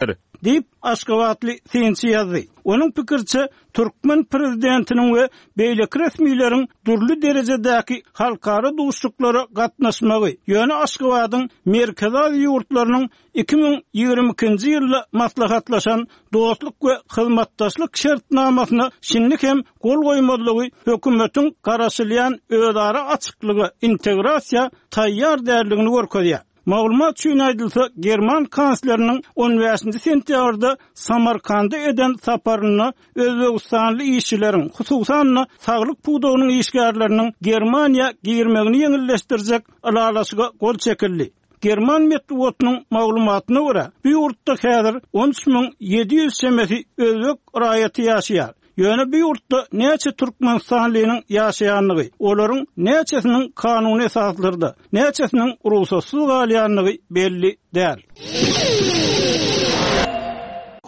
Diýip, aşgabatly synçy ýazdy. Onuň pikiriçe, türkmen prezidentiniň we beýleki resmileriň dürli derejedäki halkara duşuşyklara gatnaşmagy, ýöne Aşgabadyň Merkezi Aziýa ýurtlarynyň 2022-nji ýylda maslahatlaşan Dostluk we hyzmatdaşlyk şertnamasyna şindi hem gol goýmazlygy hökümetiň garaşylýan özara açyklyga, integrasiýa taýýar däldigini görkezýär. Maglumat üçin aýdylsa, german kansleriniň on bäşinji sentýabrda Samarkanda eden saparynda özbegistanly işçileriň, hususan-da, saglyk pudagynyň işgärleriniň Germaniýa girmegini ýeňilleşdirjek ylalaşyga gol çekildi. German metbugatynyň maglumatyna görä, bu ýurtda häzir 13 700 çemesi özbek raýaty ýaşaýar. Ýöne bu ýurtda näçe türkmenistanlynyň ýaşaýandygy, olaryň näçesiniň kanuny esaslarda, näçesiniň rugsatsyz galýandygy belli däl.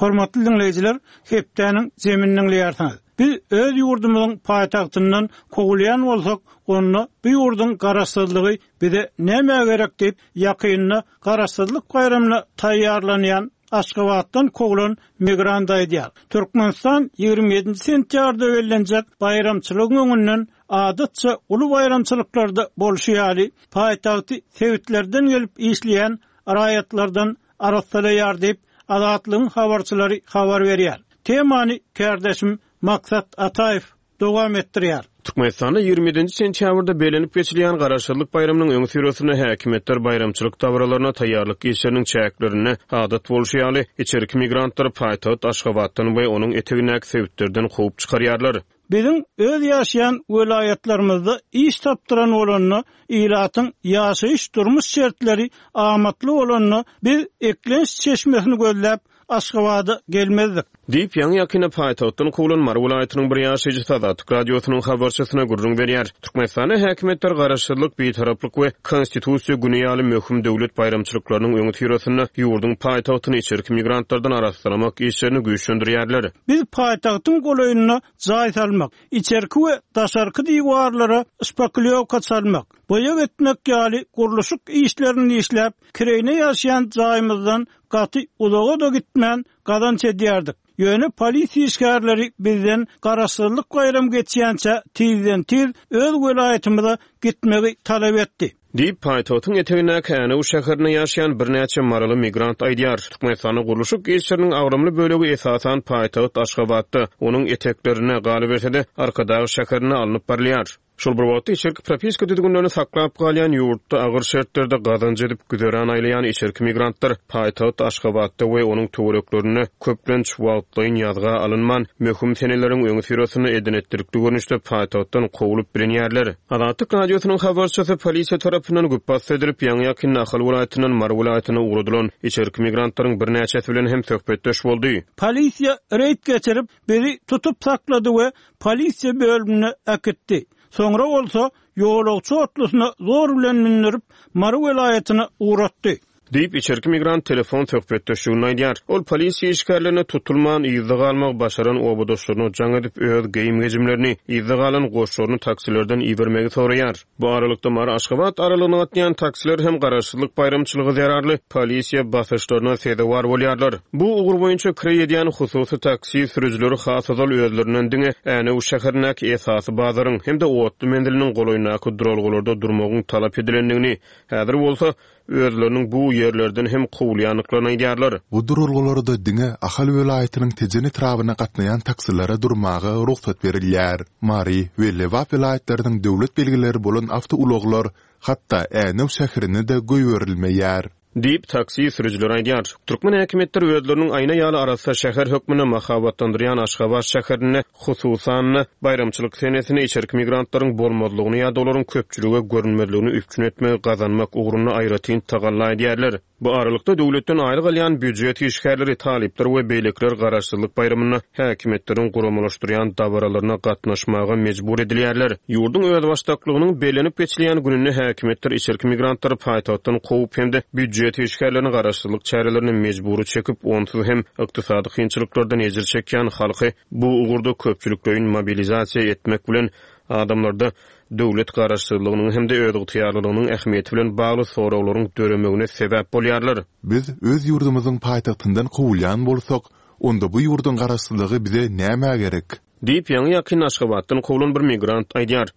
Hormatly diňleýjiler, hepdäniň jemini diňleýärsiňiz. Biz öz ýurdumyzyň paýtagtyndan kowulýan bolsak, onda bu ýurduň garaşsyzlygy Bize nämä gerek diýip, ýakynda Garaşsyzlyk baýramyna taýýarlanýan Aşgabatdan kowlan migrant aýdýar. Türkmenistan 27-nji sentýabrda bellenjek baýramçylygyň öňünden adatça uly baýramçylyklarda bolşy ýaly, paýtagty sebitlerden gelip işleýän raýatlardan arassalaýar diýip, Azatlygyň habarçylary habar berýär. Temany kärdeşim Maksat Ataýew dowam etdirýär. Türkmenistanda 27-nji sentýabrda bellenip geçilýän Garaşsyzlyk baýramynyň öňüsyrasynda häkimiýetler baýramçylyk dabaralaryna taýýarlyk işleriniň çäklerinde, adat bolşy ýaly, içerki migrantlary paýtagt Aşgabatdan we onuň etegindäki sebitlerden kowup çykarýarlar. Biziň öz ýaşaýan welaýatlarymyzda iş tapdyran bolanda, ilatyň ýaşaýyş-durmuş şertleri amatly bolanda, biz eklenç çeşmesini gözläp, Aşgabada gelmezdik. Diýip, ýaňy-ýakynda paýtagtdan kowlan Mary welaýatynyň bir ýaşaýjysy Azatlyk Radiosynyň habarçysyna gürrüň berýär. Türkmenistanda häkimiýetler Garaşsyzlyk, Bitaraplyk we Konstitusiýa güni ýaly möhüm döwlet baýramçylyklarynyň öňüsyrasynda ýurduň paýtagtyny içerki migrantlardan arassalamak işlerini güýçlendirýärler. Biz paýtagtyň golaýynda jaý salmak, içerki we daşarky diwarlara şpaklýowka çalmak, boýag etmek ýaly gurluşyk işlerini işläp, kireýine ýaşaýan jaýymyzdan Gaty uzaga-da gitmän gazanç edýärdik. Ýöne polisiýa işgärleri bizden Garaşsyzlyk baýramy geçýänçä tizden-tiz öz welaýatymyza gitmegi talap etdi. Diýip, paýtagtyň etegindäki Änew şäherinde ýaşaýan birnäçe maryly migrant aýdýar. Türkmenistanda gurluşyk işleriniň agramly bölegi esasan paýtagt Aşgabatda, onuň eteklerinde, galyberse-de, Arkadag şäherinde alnyp barylýar. Şol bir wagtda, içerki propiska düzgünlerini saklap galýan ýurtda agyr şertlerde gazanç edip güzeran aýlaýan içerki migrantlar paýtagt Aşgabatda we onuň töwereklerinde köplenç wagtlaýyn ýazga alynman, möhüm seneleriň öňüsyrasynda eden-etdilikli görnüşde paýtagtdan kowlup bilinýärler. Azatlyk Radiosynyň habarçysy polisiýa tarapyndan güpbasdy edilip, ýaňy-ýakynda Ahal welaýatyndan Mary welaýatyna ugradylan içerki migrantlaryň birnäçesi bilen hem söhbetdeş boldy. Polisiýa reýd geçirip, bizi tutup saklady we polisiýa bölümine äkitdi. Soňra bolsa ýolagçy otlusyna zor bilen mündürip, Mary welaýatyna ugratdy. Diýip, içerki migrant telefon söhbetdeşliginde aýdýar. Ol polisiýa işgärlerine tutulman, yzda galmagy başaran obadaşlaryna jaň edip, öz geýim-gejimlerini, yzda galan goşlaryny taksilerden ibermegi soraýar. Bu aralykda, Mary-Aşgabat aralygyna gatnaýan taksiler hem Garaşsyzlyk baýramçylygy zerarly polisiýa basyşlaryna sezewar bolýarlar. Bu ugur boýunça kireý edýän hususy taksi sürüjileri has ozal özlerinden diňe Änew şäherindäki esasy bazaryň hem-de otly menziliniň golaýyndaky duralgalarda durmagyň talap edilendigini, häzir bolsa, özleriniň bu ýerlerden hem kowulýandyklaryny aýdýarlar. Bu duralgalarda diňe Ahal welaýatynyň Tejen etrabyna gatnaýan taksilere durmaga rugsat berilýär. Mary we Lebap welaýatlarynyň döwlet belgileri bolan awtoulaglar hatda Änew şäherine-de goýberilmeýär. Diýip, taksi sürüjileri aýdýar. Türkmen häkimiýetleri özleriniň aýna ýaly arassa şäher hökmünde mahabatlandyrýan Aşgabat şäherinde, hususan-da, baýramçylyk senesinde içerki migrantlaryň bolmazlygyny ýa-da olaryň köpçülige görünmezligini üpjün etmegi gazanmak ugrunda aýratyn tagalla edýärler. Bu aralykda, döwletden aýlyk alýan býujet işgärleri, talyplar we beýlekiler Garaşsyzlyk baýramynda häkimiýetleriň guramalaşdyrýan dabaralaryna gatnaşmaga mejbur edilýärler. Ýurduň özbaşdaklygynyň bellenip geçilýän gününde häkimiýetler içerki migrantlary paýtagtdan kowup hem-de býujet işgärlerini garaşsyzlyk çärelerine mejbury çekip, onsuz hem ykdysady kynçylyklardan ejir çekýän halky bu ugurda köpçülikleýin mobilizasiýa etmek bilen, adamlarda. döwlet garaşsyzlygynyň hem-de özygtyýarlylygynyň ähmiýeti bilen bagly soraglaryň döremegine sebäp bolýarlar. Biz öz ýurdumyzyň paýtagtyndan kowulýan bolsak, onda bu ýurduň garaşsyzlygy bize nämä gerek? Diýip, ýaňy-ýakynda Aşgabatdan kowlan bir migrant aýdýar.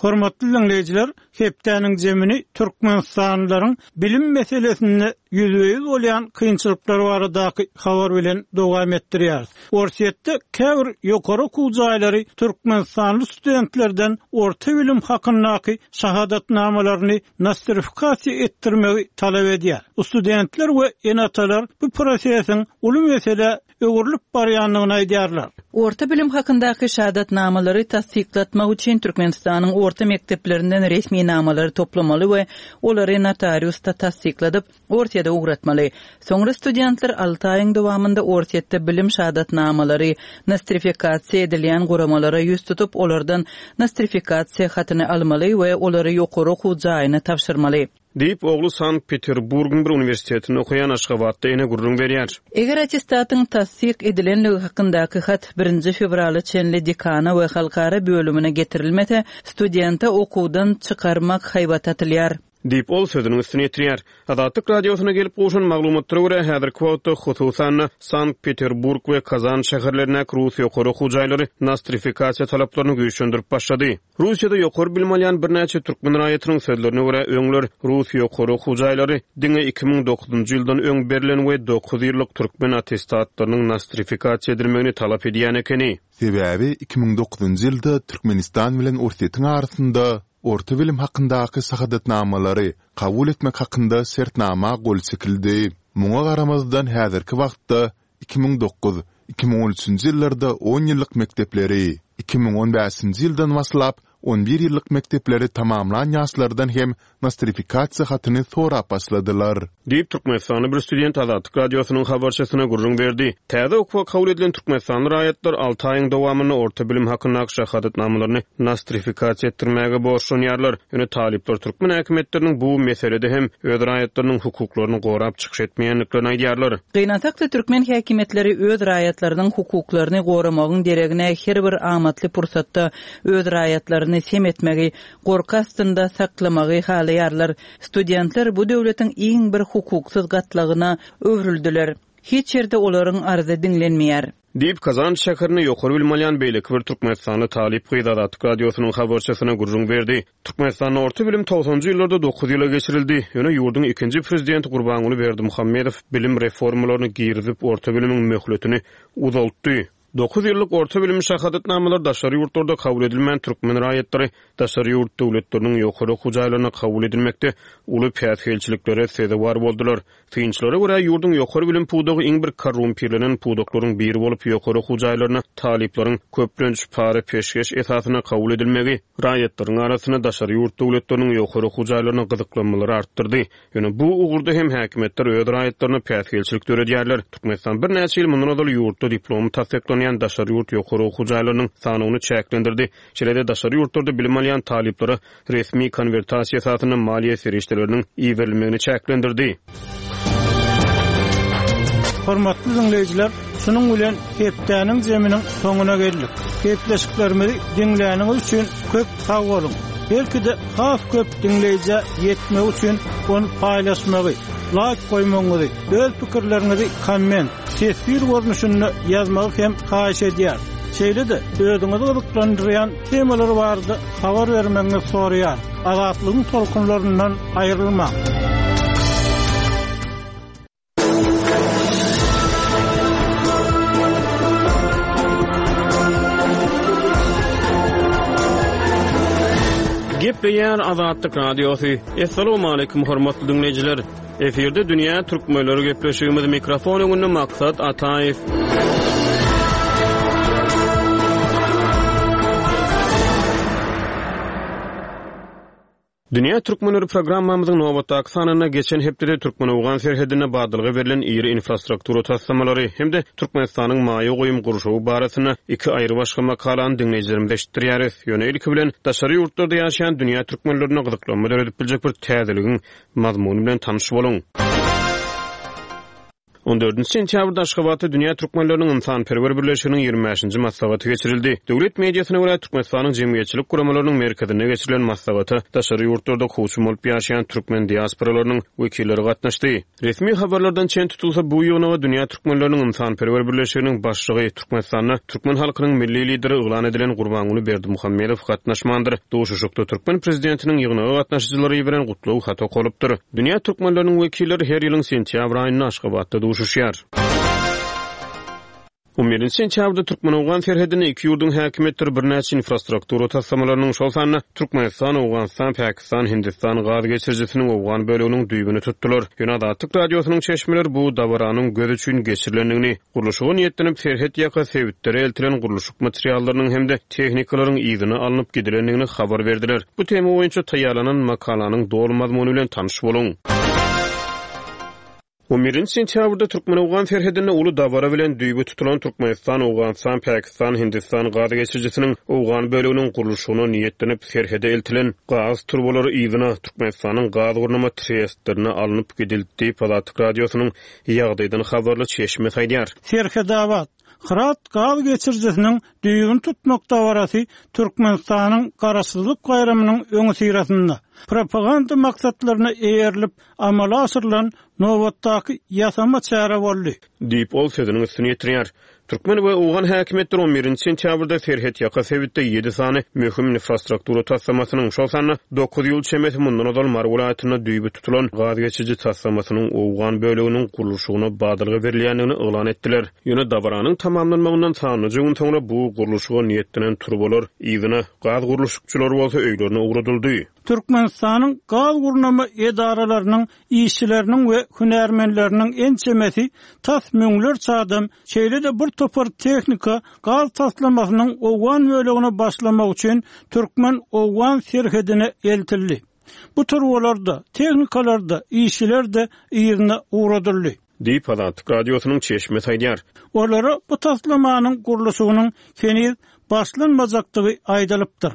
Hormatly diňleýjiler, hepdäniň jemini türkmenistanlylaryň bilim meselesinde ýüzbe-ýüz bolýan kynçylyklar baradaky habar bilen dowam etdirýäris. Orsýetde käbir ýokary okuw jaýlary türkmenistanly studentlerden orta bilim hakyndaky şahadatnamalaryny nostrifikasiýa etdirmegi talap edýär. Studentler we ene-atalar bu prosesiň uly meselä öwrülip barýandygyny aýdýarlar. Orta bilim hakyndaky şahadatnamalary tassyklatmak üçin Türkmenistanyň orta mekdeplerinden resminamalary toplamaly we olary notariusda tassykladyp, Orsýete ugratmaly. Soňra studentler alty aýyň dowamynda Orsýetde bilim şahadatnamalary nostrifikasiýa edilýän guramalara ýüz tutup, olardan nostrifikasiýa hatyny almaly we olary ýokary okuw jaýyna tabşyrmaly. Diýip, ogly Sankt-Peterburgyň bir uniwersitetinde okaýan aşgabatly ene gürrüň berýär. Eger attestatyň tassyk edilenligi hakyndaky hat birinji fewrala çenli dekana we halkara bölümine getirilmese, studente okuwdan çykarmak haýbaty atylýar. Diýip, ol sözüniň üstüni ýetirýär. Azatlyk Radiosyna gelip gowşan maglumatlara görä, häzirki wagtda, hususan-da, Sankt-Peterburg we Kazan şäherlerindäki rus ýokary okuw jaýlary nostrifikasiýa talaplaryny güýçlendirip başlady. Russiýada ýokary bilim alýan birnäçe türkmen raýatynyň sözlerine görä, öňler rus ýokary okuw jaýlary diňe 2009-njy ýyldan öň berlen we dokuz ýyllyk türkmen attestatlarynyň nostrifikasiýa edilmegini talap edýän ekeni. Sebäbi 2009-njy ýylda Türkmenistan bilen Orsýetiň arasynda orta bilim hakyndaky şahadatnamalary kabul etmek hakynda şertnama gol çekildi. Muňa garamazdan häzirki wagtda 2009, 2013-nji ýyllarda on ýyllyk mekdepleri, 2015-nji ýyldan başlap on bir ýyllyk mekdepleri tamamlan ýaşlardan hem nostrifikasiýa hatyny sorap başladylar. Diýip, türkmenistanly bir student Azatlyk Radiosynyň habarçysyna gürrüň berdi. Täze okuwa kabul edilen türkmenistanly raýatlar alty aýyň dowamynda orta bilim hakyndaky şahadatnamalaryny nostrifikasiýa etdirmäge borçlanýarlar. Ýöne talyplar türkmen häkimiýetleriniň bu meselede hem öz raýatlarynyň hukuklaryny gorap çykyş etmeýändiklerini aýdýarlar. Gynansak-da, türkmen häkimiýetleri öz raýatlarynyň hukuklaryny goramagyň deregine her bir amatly pursatda öz raýatlaryny sem etmegi, gorky astynda saklamagy halaýarlar. Studentler bu döwletiň iň bir hukuksyz gatlagyna öwrüldiler. Hiç ýerde olaryň arzy diňlenmeýär. Diýip, Kazan şäherinde ýokary bilim alýan beýleki bir türkmenistanly talyp gyz Azatlyk Radiosynyň habarçysyna gürrüň berdi. Türkmenistanda orta bilim togsanjy ýyllarda dokuz ýyla geçirildi. Ýöne ýurduň ikinji prezidenti Gurbanguly Berdimuhamedow bilim reformalaryny girizip, orta bilimiň möhletini uzaltdy. Dokuz ýyllyk orta bilim şahadatnamalary daşary ýurtlarda kabul edilmän, türkmen raýatlary daşary ýurt döwletleriniň ýokary okuw jaýlaryna kabul edilmekde uly päsgelçiliklere sezewar boldular. Synçylara görä, ýurduň ýokary bilim pudagy iň bir korrumpirlenen pudaklaryň biri bolup, ýokary okuw jaýlaryna talyplaryň köplenç para-peşgeş esasynda kabul edilmegi raýatlaryň arasynda daşary ýurt döwletleriniň ýokary okuw jaýlaryna gyzyklanmalary artdyrdy. Ýöne bu ugurda hem häkimiýetler öz raýatlaryna päsgelçilik döredýärler. Türkmenistan birnäçe ýyl mundan ozal ýurtda diplomy tassyklanýan daşary ýurt ýokary okuw jaýlarynyň sanawyny çäklendirdi. Şeýle-de daşary ýurtlarda bilim alýan talyplara resmi konwertasiýa esasynda maliýe serişdeleriniň iberilmegini çäklendirdi. Hormatly diňleýjiler, şunuň bilen hepdäniň jeminiň soňuna geldik. Gepleşiklerimizi diňläniňiz üçin köp sag boluň! Belki-de has köp diňleýjä ýetmegi üçin ony paýlaşmagy, laýk goýmagyňyzy, öz pikirleriňizi komment, teswir görnüşinde ýazmagy hem haýyş edýäris. Şeýle-de özüňizi gyzyklandyrýan temalar barada habar bermegiňizi soraýarys. Azatlygyň tolkunlaryndan aýrylmaň! Gepleýär Azatlyk Radiosy. Assalamualaikum hormatly diňleýjiler. Efirde dünýä türkmenleri gepleşigimiz mikrofon öňünde Maksat Ataýew. Dünýä türkmenleri programmamyzyň nobatdaky sanynda geçen hepdede türkmen-owgan serhedinde badalga berlen iri infrastruktura taslamalary hem-de Türkmenistanyň maýa goýum gurşawy barasynda iki aýrybaşga makalany diňleýjilerimize eşitdirýäris. Ýöne ilki bilen daşary ýurtlarda ýaşaýan dünýä türkmenlerinde gyzyklanma döredip biljek bir täzeligiň mazmuny bilen tanyş boluň. On dördünji sentýabrda Aşgabatda Dünýä türkmenleriniň ynsanperwer birleşiginiň 25 bäşinji maslahaty geçirildi. Döwlet mediasyna görä, Türkmenistanyň jemgyýetçilik guramalarynyň merkezinde geçirilen maslahata daşary ýurtlarda kowçum bolup ýaşaýan türkmen diasporalarynyň wekilleri gatnaşdy. Resmi habarlardan çen tutulsa, bu ýygnaga Dünýä türkmenleriniň ynsanperwer birleşiginiň başlygy, Türkmenistanda türkmen halkynyň Milli Lideri yglan edilen Gurbanguly Berdimuhamedow gatnaşmandyr. Duşuşykda türkmen prezidentiniň ýygnaga gatnaşyjylara iberen gutlag haty okalypdyr. Dünýä türkmenleriniň wekilleri her ýylyň sentýabr aýynda Aşgabatda duşuşýar. On birinji sentýabrda türkmen-owgan serhedinde iki ýurduň häkimiýetleri birnäçe infrastruktura taslamalarynyň, şol sanda Türkmenistan, Owganystan, Pakistan, Hindistan gaz geçirijisiniň owgan böleginiň düýbüni tutdular. Ýöne Azatlyk Radiosynyň çeşmeleri bu dabaranyň göz üçin geçirilendigini, gurluşyga niýetlenip serhet ýaka sebitlere eltilen gurluşyk materiallarynyň hem-de tehnikalaryň yzyna alnyp gidilendigini habar berdiler. Bu tema boýunça taýýarlanan makalanyň doly mazmuny bilen tanyş boluň. On birinji sentýabrda türkmen-owgan serhedinde uly dabara bilen düýbi tutulan Türkmenistan, Owganystan, Pakistan, Hindistan gaz geçirijisiniň owgan böleginiň gurluşygyna niýetlenip serhede eltilen gaz turbalary yzyna, Türkmenistanyň gaz gurnama trestlerine alnyp gidildi diýip, Azatlyk Radiosynyň ýagdaýdan habarly çeşmesi aýdýar. Serhedabat, Hyrat gaz geçirijisiniň düýbüni tutmak dabarasy Türkmenistanyň Garaşsyzlyk baýramynyň öňüsyrasynda, propaganda maksatlaryna eýerilip amala aşyrylan nobatdaky ýasama çäre boldy. Diýip, ol sözüniň üstüni ýetirýär. Türkmen we owgan häkimiýetleri on birinji sentýabrda serhetýaka sebitde ýedi sany möhüm infrastruktura taslamasynyň, şol sanda dokuz ýyl çemesi mundan ozal Mary welaýatynda düýbi tutulan gaz geçiriji taslamasynyň owgan böleginiň gurluşygyna badalga berilýändigini yglan etdiler. Ýöne dabaranyň tamamlanmagyndan sanlyja gün soňra bu gurluşyga niýetlenen turbalar yzyna, gaz gurluşykçylary bolsa öýlerine ugradyldy. Türkmenistanyň gaz gurnama edaralarynyň işçileriniň we hünärmenleriniň ençemesi, tas müňlerçe adam, şeýle-de bir topar tehnika gaz taslamasynyň owgan bölegine başlamak üçin türkmen-owgan serhedine eltildi. Bu turbalar-da, tehnikalar-da, işçiler-de yzyna ugradyldy. Diýip, Azatlyk Radiosynyň çeşmesi aýdýar. Olara bu taslamanyň gurluşygynyň heniz başlanmajakdygy aýdylypdyr.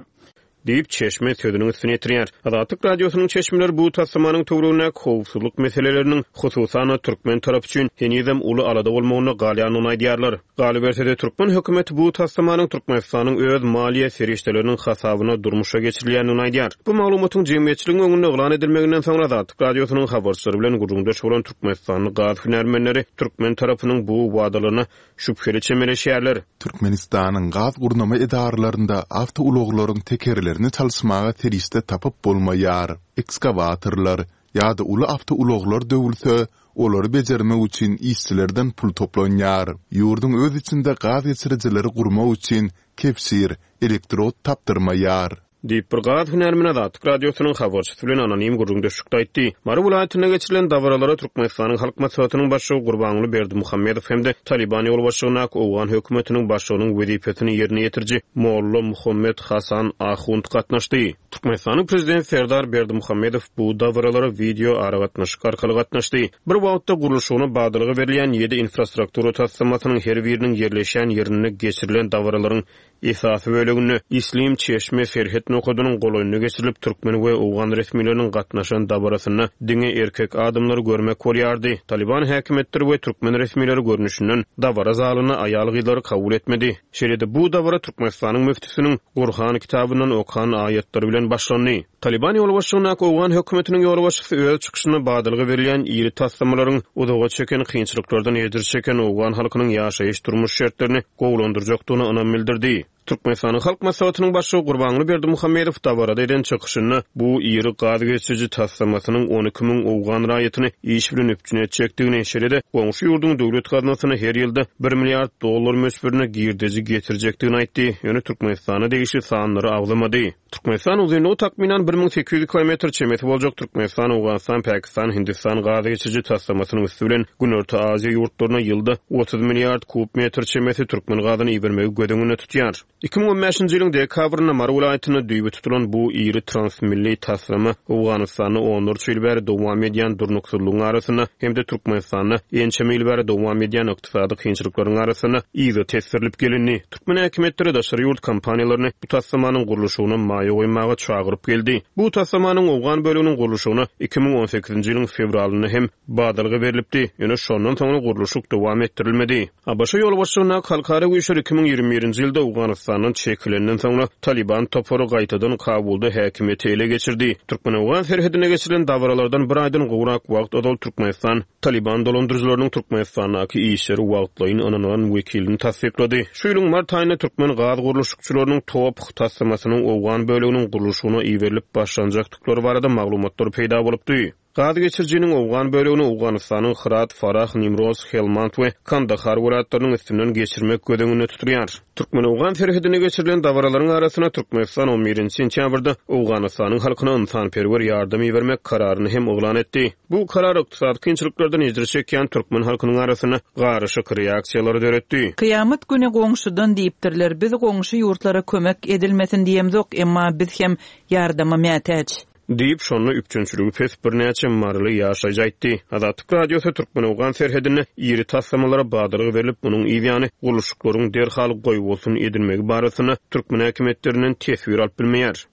Diýip, çeşme sözüniň üstüni ýetirýär. Azatlyk Radiosynyň çeşmeleri bu taslamanyň töweregindäki howpsuzlyk meseleleriniň, hususan-da, türkmen tarapy üçin henizem uly alada bolmagynda galýandygyny aýdýarlar. Galyberse-de, türkmen hökümeti bu taslamanyň Türkmenistanyň öz maliýe serişdeleriniň hasabyna durmuşa geçirilýändigini aýdýar. Bu maglumatyň jemgyýetçiligiň öňünde yglan edilmeginden soňra Azatlyk Radiosynyň habarçylary bilen gürrüňdeş bolan türkmenistanly gaz hünärmenleri türkmen tarapynyň bu wadalaryna şübheli çemeleşýärler. Türkmenistanyň gaz gurnama edaralarynda awtoulaglaryň tekerlerini çalyşmaga serişde tapyp bolmaýar. Ekskawatorlar ýa-da uly awtoulaglar döwülse, olary bejermek üçin işçilerden pul toplanýar. Ýurduň öz içinde gaz geçirijileri gurmak üçin kebşir, elektrod tapdyrmaýar. Diýip, bir gaz hünärmeni Azatlyk Radiosynyň habarçysy bilen anonim gürrüňdeşlikde aýtdy. Mary welaýatynda geçirilen dabaralara Türkmenistanyň Halk Maslahatynyň Başlygy Gurbanguly Berdimuhamedow hem-de Talyban ýolbaşçylygyndaky owgan hökümetiniň başlygynyň wezipesini ýerine ýetiriji Molla Muhammet Hasan Ahund gatnaşdy. Türkmenistanyň Prezidenti Serdar Berdimuhamedow bu dabaralara wideo aragatnaşyk arkaly gatnaşdy. Bir wagtda gurluşygyna badalga berilýän ýedi infrastruktura taslamasynyň her biriniň ýerleşýän ýerinde geçirilen dabaralaryň Esasy böleginde Islim çeşme serhet nokadynyň golaýynda geçirilip, türkmen we owgan resmileriniň gatnaşan dabarasynda diňe erkek adamlary görmek bolýardy. Talyban häkimiýetleri we türkmen resmileri görnüşinden dabara zalyna aýal-gyzlary kabul etmedi. Şeýle-de bu dabara Türkmenistanyň müftüsiniň Gurhan kitabyndan okan aýatlary bilen başlandy. Talyban ýolbaşçylygyndaky owgan hökümetiniň ýolbaşçysy öz çykyşynda badalga berilýän iri taslamalaryň uzaga çeken kynçylyklardan ejir çeken owgan halkynyň ýaşaýyş-durmuş şertlerini gowulandyrjakdygyna ynam bildirdi. Türkmenistanyň Halk Maslahatynyň Başlygy Gurbanguly Berdimuhamedow dabarada eden çykyşynda bu iri gaz geçiriji taslamasynyň 12 müň owgan raýatyny iş bilen üpjün etjekdigini, şeýle-de goňşy ýurduň döwlet gaznasyna her ýylda bir milliard dollar möçberinde girdeji getirjekdigini aýtdy, ýöne Türkmenistana degişli sanlary agzamady. Türkmenistan uzynlygy takmynan 1800 kilometr çemesi boljak Türkmenistan, Owganystan, Pakistan, Hindistan gaz geçiriji taslamasynyň üsti bilen Günorta Aziýa ýurtlaryna ýylda 30 milliard kub metr çemesi türkmen gazyny ibermegi göz öňünde tutýar. 2015-nji ýylyň dekabrynda Mary welaýatynda düýbi tutulan bu iri transmilli taslama Owganystanda onlarça ýyl bäri dowam edýän durnuksyzlygyň arasynda hem-de Türkmenistanda ençeme ýyl bäri dowam edýän ykdysady kynçylyklaryň arasynda yza tesdirilip gelindi. Türkmen häkimiýetleri daşary ýurt kompaniýalaryny bu taslamanyň gurluşygyna maýa goýmaga çagyryp geldi. Bu taslamanyň owgan böleginiň gurluşygyna 2018-nji ýylyň fewralynda hem badalga berlipdi, ýöne şondan soňra gurluşyk dowam etdirilmedi. ABŞ ýolbaşçylygyndaky halkara güýçler 2021-nji ýylda Owganystandan çekilenden soňra, Talyban topary gaýtadan Kabulda häkimiýeti ele geçirdi. Türkmen-owgan serhedinde geçirilen dabaralardan bir aýdan gowrak wagt ozal Türkmenistan Talyban dolandyryjylarynyň Türkmenistandaky işleri wagtlaýyn ynanylan wekilini tassyklady. Şu ýylyň mart aýynda türkmen gaz gurluşykçylarynyň TOPH taslamasynyň owgan böleginiň gurluşygyna iberilip başlanjakdyklary barada maglumatlar peýda bolupdy. Gaz geçirijiniň owgan bölegini Owganystanyň Hyrat, Farah, Nimroz, Helmand we Kandahar welaýatlarynyň üstünden geçirmek göz öňünde tutulýar. Türkmen-owgan serhedinde geçirilen dabaralaryň arasynda Türkmenistan on birinji sentýabrda Owganystanyň halkyna ynsanperwer ýardam ibermek kararyny hem yglan etdi. Bu karar ykdysady kynçylyklardan ejir çekýän türkmen halkynyň arasynda garyşyk reaksiýalary döretdi. Kyýamat güni goňşudan diýipdirler, biz goňşy ýurtlara kömek edilmesin diýemzok, emma biz hem ýardama mätäç. Diýip, şonda üpjünçiligi pes birnäçe maryly ýaşaýjy aýtdy. Azatlyk Radiosy türkmen-owgan serhedinde iri taslamalara badalga berlip, munuň yzýany gurluşyklaryň derhal goýbolsun edilmegi barasynda türkmen häkimiýetlerinden teswir alyp bilmeýär.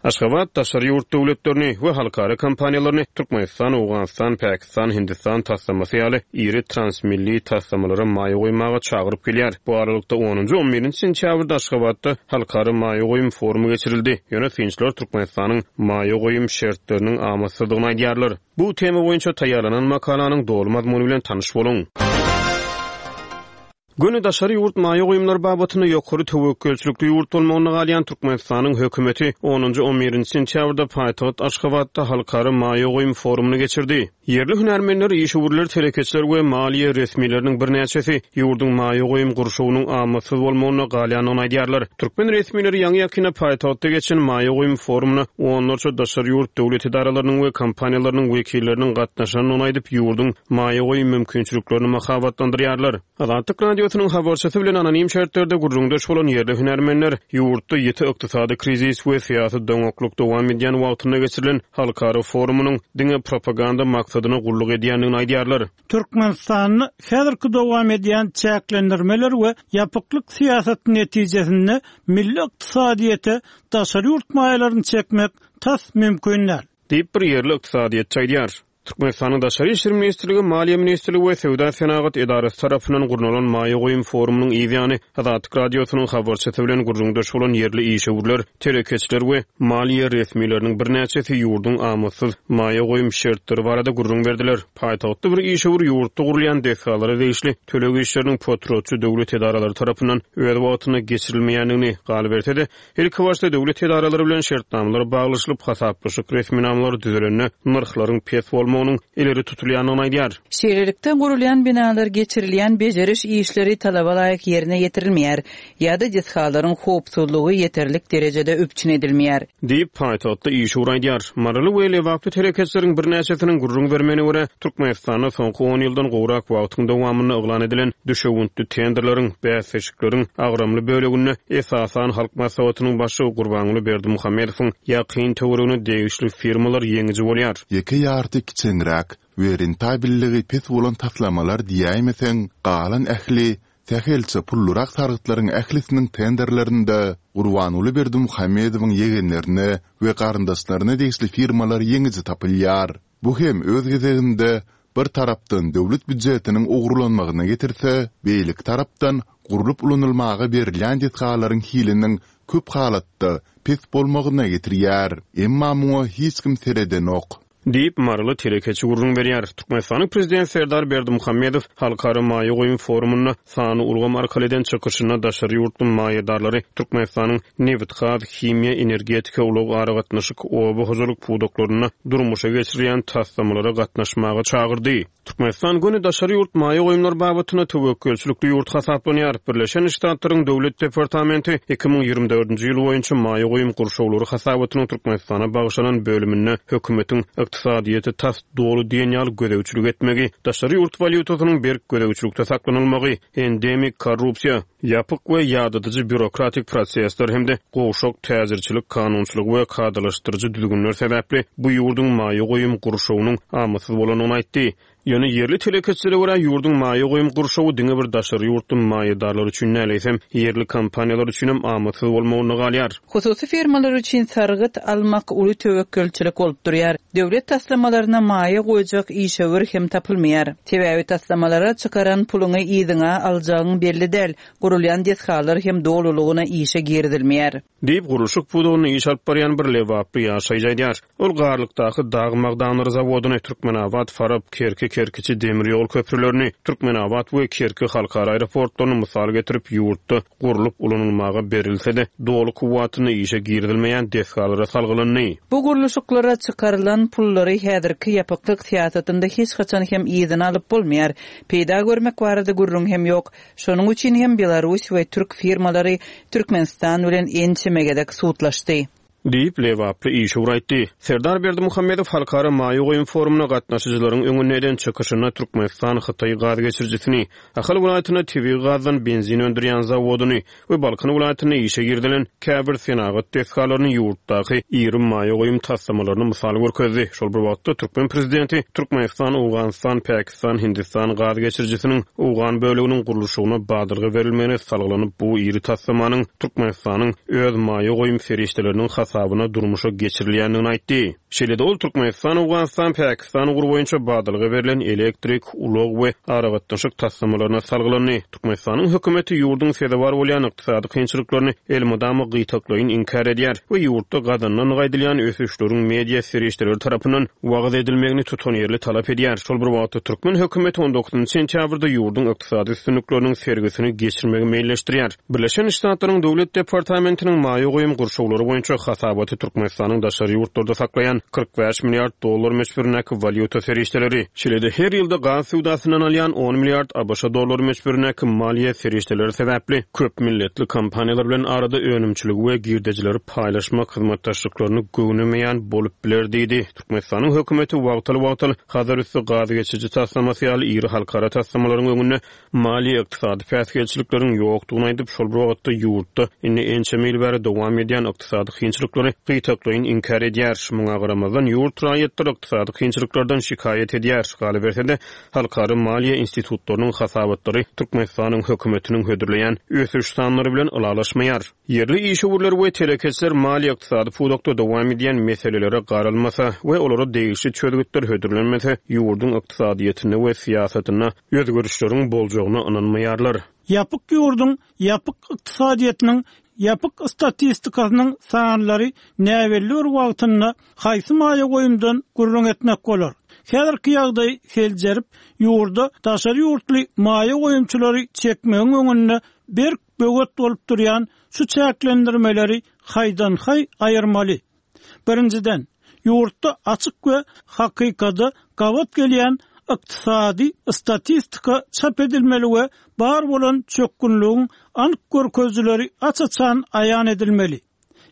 Aşgabat daşary ýurt döwletlerini we halkara kompaniýalaryny Türkmenistan, Owganystan, Pakistan, Hindistan taslamasy ýaly iri transmilli taslamalara maýa goýmaga çagyryp gelýär. Bu aralykda, onunjy, on birinji sentýabrda Aşgabatda Halkara maýa goýum forumy geçirildi. Ýöne synçylar Türkmenistanyň maýa goýum şertleriniň amatsyzdygyny aýdýarlar. Bu tema boýunça taýýarlanan makalanyň doly mazmuny bilen tanyş boluň. Göni daşary ýurt maýa goýumlary babatynda ýokary töwekgelçilikli ýurt bolmagynda galýan Türkmenistanyň hökümeti onunjy-on birinji sentýabrda paýtagt Aşgabatda halkara maýa goýum forumyny geçirdi. Ýerli hünärmenler, işewürler, telekeçiler we maliýe resmileriniň birnäçesi ýurduň maýa goýum gurşawynyň amatsyz bolmagynda galýandygyny aýdýarlar. Türkmen resmileri ýaňy-ýakynda paýtagtda geçen maýa goýum forumyna onlarça daşary ýurt döwlet edaralarynyň we kompaniýalarynyň wekilleriniň gatnaşandygyny aýdyp, ýurduň maýa goýum mümkinçiliklerini mahabatlandyrýarlar. Azatlyk Radiosynyň habarçysy bilen anonim şertlerde gürrüňdeş bolan ýerli hünärmenler ýurtda ýiti ykdysady krizis we syýasy doňaklyk dowam edýän wagtynda geçirilen halkara forumynyň diňe propaganda maksadyna gulluk edýändigini aýdýarlar. Türkmenistanda häzirki dowam edýän çäklendirmeler we ýapyklyk syýasaty netijesinde milli ykdysadyýete daşary ýurt maýalaryny çekmek tas mümkin däl. Diýip, bir ýerli ykdysadyýetçi aýdýar. Türkmenistanyň Daşary işler ministrligi, Maliýe ministrligi we Söwda-senagat edarasy tarapyndan gurnalan maýa goýum forumynyň yz ýany, Azatlyk Radiosynyň habarçysy bilen gürrüňdeş bolan ýerli işewürler, telekeçiler we maliýe resmileriniň birnäçesi ýurduň amatsyz maýa goýum şertleri barada gürrüň berdiler. Paýtagtda bir işewür ýurtda gurulýan desgalara degişli töleg işleriniň potratçy döwlet edaralary tarapyndan öz wagtynda geçirilmeýändigini, galyberse-de, Ilkibaşda döwlet edaralary bilen şertnamalar baglaşylyp, hasaplaşyk resminamalary düzülende nyrhlaryň pes bolmagynyň ileri tutulýandygyny aýdýar. Şeýlelikde, gurulýan binalar geçirilýän bejeriş işleri talaba laýyk ýerine ýetirilmeýär ýa-da desgalaryň howpsuzlygy ýeterlik derejede üpjün edilmeýär. Diýip, paýtagtda işewür aýdýar. Maryly we lebaply telekeçileriň birnäçesiniň gürrüň bermegine görä, Türkmenistanda soňky on ýyldan gowrak wagtyň dowamynda yglan edilen düşewüntli tenderleriň, bäsleşikleriň agramly böleginde esasan Halk Maslahatynyň Başlygy Gurbanguly Berdimuhamedowyň ýakyn töweregine degişli firmalar ýeňiji bolýar. Ýeke ýarty kiçeňräk we rentabelligi pes bolan taslamalar diýäýmeseň, galan ähli sähelçe pullurak sargytlaryň ählisiniň tenderlerinde Gurbanguly Berdimuhamedowyň ýegenlerine we garyndaşlaryna degişli firmalar ýeňiji tapylýar. Bu hem öz gezeginde bir tarapdan döwlet býujetiniň ogurlanmagyna getirse, beýleki tarapdan gurlup ulanylmaga berilýän desgalaryň hiliniň köp halatda pes bolmagyna getirýär. Emma muňa hiç kim seredenok. Diýip, maryly telekeçi gürrüň berýär. Türkmenistanyň Prezidenti Serdar Berdimuhamedow Halkara maýa goýum forumynda sanly ulgam arkaly eden çykyşynda daşary ýurtly maýadarlary Türkmenistanyň nebitgaz, himiýa, energetika, ulag-aragatnaşyk, oba hojalyk pudaklarynda durmuşa geçirilýän taslamalara gatnaşmaga çagyrdy. Türkmenistan göni daşary ýurt maýa goýumlary babatynda töwekgelçilikli ýurt hasaplanýar. Birleşen Ştatlaryň Döwlet departamenti 2024-nji ýyl boýunça maýa goýum gurşawlary hasabatynyň Türkmenistana bagyşlanan bölüminde hökümetiň. ykdysadyýete tas doly diýen ýaly gözegçilik etmegi, daşary ýurt walýutasynyň berk gözegçilikde saklanylmagy, endemik korrupsiýa, ýapyk we ýadadyjy býurokratik prosesler hem-de gowşak täjirçilik kanunçylygy we kadalaşdyryjy düzgünler sebäpli bu ýurduň maýa goýum gurşawynyň amatsyz bolandygyny aýtdy. Ýöne ýerli telekeçilere görä, ýurduň maýa goýum gurşawy diňe bir daşary ýurtly maýadarlar üçin däl, eýsem, ýerli kompaniýalar üçinem amatsyz bolmagynda galýar. Hususy firmalar üçin sargyt almak uly töwekgelçilik bolup durýar. Döwlet taslamalaryna maýa goýjak işewür hem tapylmaýar. Sebäbi taslamalara çykaran puluňy yzyňa aljagyň belli däl, gurulýan desgalar hem dolulygyna işe girizilmeýär. Diýip, gurluşyk pudagynda iş alyp barýan bir lebaply ýaşaýjy aýdýar. Ol Garlykdaky dag magdanlary zawodyny, Türkmenabat, Farap, Kerki, Kerkiçi demir ýol köprülerini, Türkmenabat we Kerki halkara aeroportlaryny mysal getirip, ýurtda gurlup ulanylmaga berilse-de, doly kuwwatynda işe girizilmeýän desgalara salgylandy. Bu gurluşyklara çykarylan pullary häzirki ýapyklyk syýasatynda hiç haçan hem yzyna alyp bolmaýar. Peýda görmek barada gürrüň hem ýok. Şonuň üçin hem belarus we türk firmalary Türkmenistan bilen ençeme gezek sudlaşdy. Diýip, lebaply işewür aýtdy. Serdar Berdimuhamedow Halkara maýa goýum forumyna gatnaşyjylaryň öňünde eden çykyşynda Türkmenistan-Hytaý gaz geçirijisini, Ahal welaýatynda tebigy gazdan benzin öndürýän zawodyny we Balkan welaýatynda işe girizilen käbir senagat desgalaryny ýurtdaky iri maýa goýum taslamalaryna mysal görkezdi. Şol bir wagtda, türkmen prezidenti Türkmenistan, Owganystan, Päkistan, Hindistan gaz geçirijisiniň owgan böleginiň gurluşygyna badalga berilmegine salgylanyp, bu iri taslamanyň Türkmenistanyň öz maýa goýum serişdeleriniň hasabyna durmuşa geçirilýändigini aýtdy. Şeýle-de ol Türkmenistan, Owganystan, Päkistan ugry boýunça badalga berlen elektrik, ulag we aragatnaşyk taslamalaryna salgylandy. Türkmenistanyň hökümeti ýurduň sezewar bolýan ykdysady kynçylyklaryny elmydama gytaklaýyn inkär edýär we ýurtda gazanylandygy aýdylýan ösüşleriň media serişdeleri tarapyndan wagyz edilmegini tutanýerli talap edýär. Şol bir wagtda, türkmen hökümeti on dokuzynjy sentýabrda ýurduň ykdysady üstünlikleriniň sergisini geçirmegi meýilleşdirýär. Birleşen Ştatlaryň Döwlet departamentiniň maýa goýum gurşawlary boýunça hasabaty Türkmenistanyň daşary ýurtlarda saklaýan 45 milliard dollar möçberindäki walýuta serişdeleri, şeýle-de her ýylda gaz söwdasyndan alýan on milliard ABŞ dollary möçberindäki maliýe serişdeleri sebäpli köp milletli kompaniýalar bilen arada önümçiligi we girdejileri paýlaşmak hyzmatdaşlyklaryny göwnemeýän bolup biler diýdi. Türkmenistanyň hökümeti wagtal-wagtal Hazarüsti gaz geçiriji taslamasy ýaly iri halkara taslamalaryň öňünde maliýe-ykdysady päsgelçilikleriň ýokdugyny aýdyp, şol bir wagtda ýurtda indi ençeme ýyl bäri dowam edýän ykdysady kynçylyklary gytaklaýyn inkär edýär. Muňa garamazdan, ýurt raýatlary ykdysady kynçylyklardan şikaýat edýär. Galyberse-de, halkara maliýe institutlarynyň hasabatlary Türkmenistanyň hökümetiniň hödürleýän ösüş sanlary bilen ylalaşmaýar. Ýerli işewürler we telekeçiler maliýe-ykdysady pudakda dowam edýän meselelere garalmasa we olara degişli çözgütler hödürlenmese, ýurduň ykdysadyýetinde we syýasatynda özgerişleriň boljagyna ynanmaýarlar. Ýapyk ýurduň ýapyk ykdysadyýetiniň ýapyk statistikasynyň sanlary näbelli bir wagtynda haýsy maýa goýumdan gürrüň etmek bolar? Häzirki ýagdaýy seljerip, ýurda daşary ýurtly maýa goýumçylary çekmegiň öňünde berk böwet bolup durýan şu çäklendirmeleri haýdan-haý aýyrmaly. Birinjiden, ýurtda açyk we hakykada gabat gelýän ykdysady statistika çap edilmeli we bar bolan çökgünligiň anyk görkezijileri aç-açan aýan edilmeli.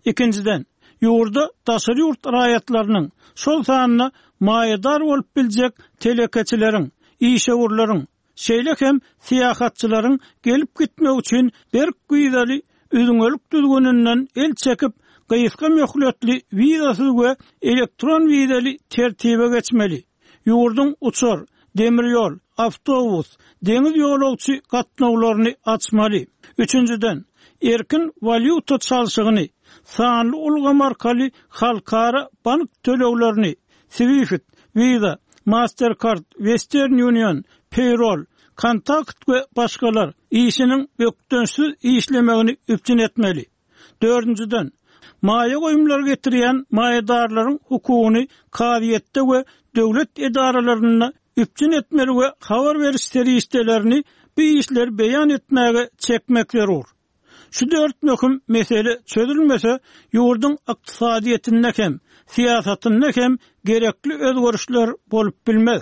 Ikinjiden, ýurda daşary ýurt raýatlarynyň, şol sanda maýadar bolup biljek telekeçileriň, işewürleriň, Şeýle hem syýahatçylaryň gelip-gitmegi üçin berk wizaly üzňelik düzgüninden el çekip, gysga möhletli wizasyz we elektron wizaly tertibe geçmeli. Ýurduň uçar, demir ýol, awtobus, deňiz ýolagçy gatnawlaryny açmaly. Üçünjiden, erkin walýuta çalşygyny, sanly ulgam arkaly halkara bank töleglerini, Swift, Visa, Mastercard, Western Union, Payroll, Kontakt we başgalar, işiniň bökdençsiz işlemegini üpjün etmeli. Dördünjiden, maýa goýumlary getirýän maýadarlaryň hukugyny kazyýetde we döwlet edaralarynda üpjün etmeli we habar beriş serişdelerini bu işleri beýan etmäge çekmek zerur. Şu dört möhüm mesele çözülmese, ýurduň ykdysadyýetinde hem, syýasatynda hem gerekli özgerişler bolup bilmez.